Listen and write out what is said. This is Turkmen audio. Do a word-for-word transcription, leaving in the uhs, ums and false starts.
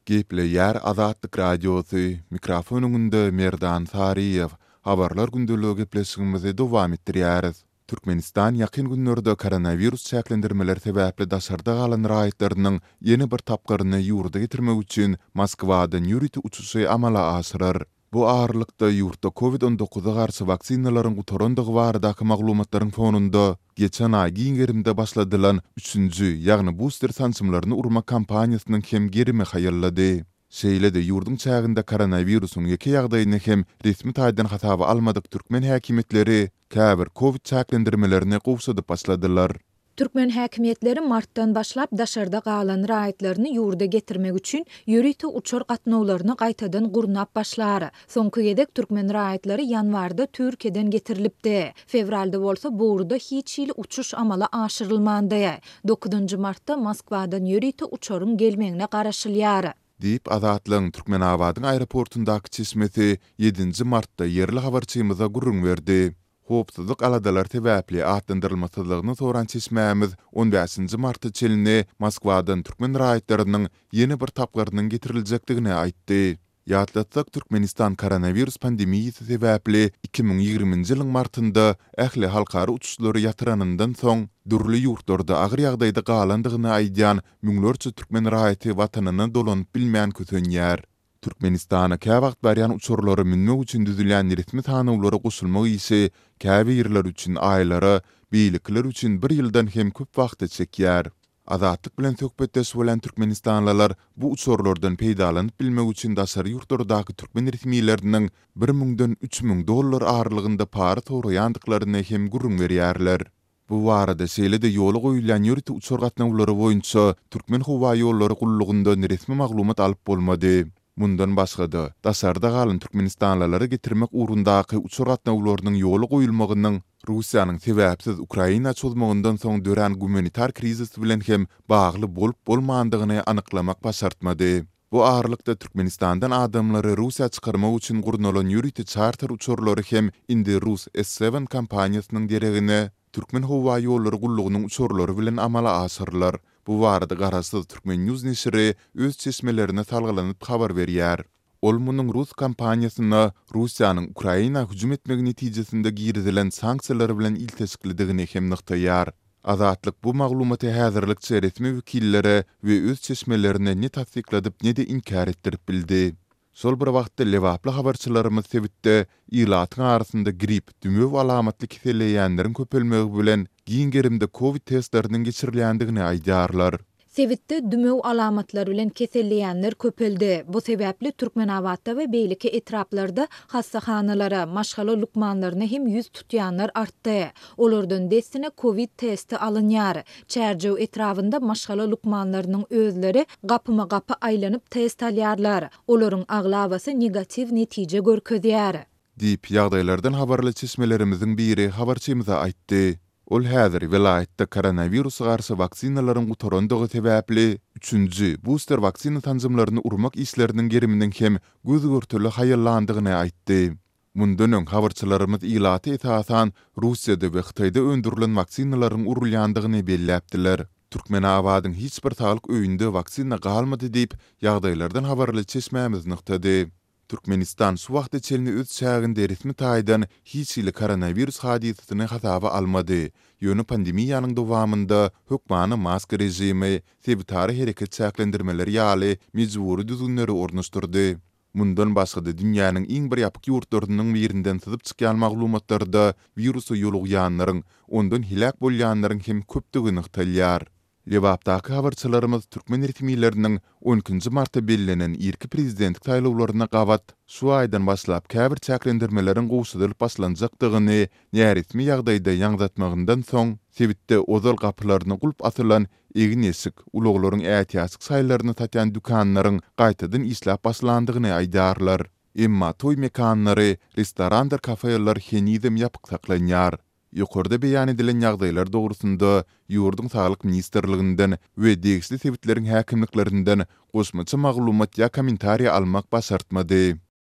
Gepleýär Azatlyk Radiosy, mikrofon öňünde Merdan Saryýew. Habarlar gündeligi gepleşigimizi dowam etdirýäris. Türkmenistan ýakyn günlerde koronawirus çäklendirmeleri sebäpli daşarda galan raýatlarynyň ýene bir tapgyryny ýurda getirmek üçin Moskwadan ýörite uçuşy amala aşyrar. Bu aralykda, ýurtda Covid on dokuza garşy waksinalaryň gutarandygy baradaky maglumatlaryň fonunda geçen aý giň gerimde başladylan üçünji, ýagny buster sançymlaryny urmak kampaniýasynyň hem gerimi haýallady. Şeýle-de ýurduň çäginde koronawirusyň ýeke ýagdaýyny hem resmi taýdan hasaba almadyk türkmen häkimiýetleri käbir Covid çäklendirmelerini gowşadyp başladylar. Türkmen häkimiýetleri martdan başlap daşarda galan raýatlaryny ýurda getirmek üçin ýörite uçar gatnawlaryny gaýtadan gurnap başlar. Soňky gezek türkmen raýatlary ýanwarda Türkiýeden getirilipdi. Fewralda bolsa bu ugurda hiç hili uçuş amala aşyrylmandy. Dokuzynjy martda Moskwadan ýörite uçaryň gelmegine garaşylýar. Diýip, Azatlygyň Türkmenabadyň aeroportundaky çeşmesi ýedinji martda ýerli habarçymyza gürrüň berdi. Howpsuzlyk aladalary sebäpli atlandyrylmasyzlygyny soran çeşmämiz on bäşinji marta çenli Moskwadan türkmen raýatlarynyň ýene bir tapgyrynyň getiriljekdigini aýtdy. Ýatlatsak, Türkmenistan koronawirus pandemiýasy sebäpli iki müň ýigriminji ýylyň martynda ähli halkara uçuşlary ýatyranyndan soň, dürli ýurtlarda agyr ýagdaýda galandygyny aýdýan müňlerçe türkmen raýaty watanyna dolanyp bilmän kösenýär. Türkmenistana käwagt barýan uçarlara münmek üçin düzülýän resmi sanawlara goşulmak işi käbirleri üçin aýlara, beýlekiler üçin bir ýyldan hem köp wagta çekýär. Azatlyk bilen söhbetdeş bolan türkmenistanlylar bu uçarlardan peýdalanyp bilmek üçin daşary ýurtlardaky türkmen resmileriniň bir müňden üç müň dollar aralygynda para soraýandyklaryny hem gürrüň berýärler. Bu barada şeýle-de ýola goýulýan ýörite uçar gatnawlary boýunça Türkmen howa ýollary gullugyndan resmi maglumat alyp bolmady. Mundan başga-da, daşarda galan türkmenistanlylary getirmek ugrundaky uçar gatnawlarynyň ýola goýulmagynyň Russiýanyň sebäpsiz Ukraina çozmagyndan soň dörän gumanitar krizis bilen hem bagly bolup-bolmandygyny anyklamak başartmady. Bu aralykda Türkmenistandan adamlary Russiýa çykarmak üçin gurnalan ýörite çarter uçarlary hem indi Rus S ýedi kompaniýasynyň deregine Türkmen howa ýollary gullugynyň uçarlary bilen amala aşyrylar. Bu barada Garaşsyz Türkmen News neşiri öz çeşmelerine salgylanyp habar berýär. Ol munuň Rus kompaniýasyna Russiýanyň Ukraina hüjüm etmegi netijesinde girizilen sanksiýalar bilen ilteşiklidigini hem nygtaýar. Azatlyk bu maglumaty häzirlikçe resmi wekillere we öz çeşmelerine ne tassykladyp ne de inkär etdirip bildi. Şol bir wagtda Lebaply habarçylarymyz sebitde ilatyň arasynda grip, dümew alamatly keselleýänleriň köpelmegi bilen giň gerimde Covid testleriniň geçirilýändigini aýdýarlar. Sebitde dümew alamatlary bilen keselleýänler köpeldi. Bu sebäpli Türkmenabatda we beýleki etraplarda hassahanalara, maşgala lukmanlaryna hem ýüz tutýanlar artdy. Olardan dessine Covid testi alynýar. Çärjew etrabynda maşgala lukmanlarynyň özleri gapyma gapy aýlanyp test alýarlar. Olaryň aglabasy negatiw netije görkezýär. Diýip, ýagdaýlardan habarly çeşmelerimiziň biri habarçymyza aýtdy. Ol häzir welaýatda koronawirusa garşy waksinalaryň gutarandygy sebäpli üçünji buster waksina sanjymlaryny urmak işleriniň geriminiň hem göz-görtele haýallandygyny aýtdy. Mundan öň habarçylarymyz ilaty esasan Russiýada we Hytaýda öndürilen waksinalaryň urulýandygyny belläpdiler. Türkmenabadyň hiç bir saglyk öýünde waksina galmady diýip, ýagdaýlardan habarly çeşmämiz nygtady. Türkmenistan şu wagta çenli öz çäginde resmi taýdan hiç hili koronawirus hadysasyny hasaba almady. Ýöne pandemiýanyň dowamynda hökmany maska režimi, sebitara hereket çäklendirmeleri ýaly mejbury düzgünleri ornaşdyrdy. Mundan başga-da dünýäniň iň bir ýapyk ýurtlarynyň birinden syzyp çykýan maglumatlarda wirusa ýolugýanlaryň, ondan heläk bolýanlaryň hem köpdügi nygtalýar. Lebapdaky habarçylarymyz türkmen resmileriniň on ikinji martda bellenen irki prezidentlik saýlawlaryna gabat şu aýdan başlap käbir çäklendirmeleriň gowşadylyp başlanjakdygyny näresmi ýagdaýda ýaňzatmagyndan soň sebitde ozal gapylaryna gulp asylan egin-eşik, ulaglaryň ätiýaçlyk şaýlaryny satýan dükanlaryň gaýtadan işläp başlandygyny aýdýarlar. Emma toý mekanlary, restorandyr kafeler henizem ýapyk saklanýar. Ýokarda beýan edilen ýagdaýlar dogrusynda ýurduň Saglyk ministrliginden we degişli sebitleriň häkimliklerinden goşmaça maglumat ýa kommentariýa almak başartmady.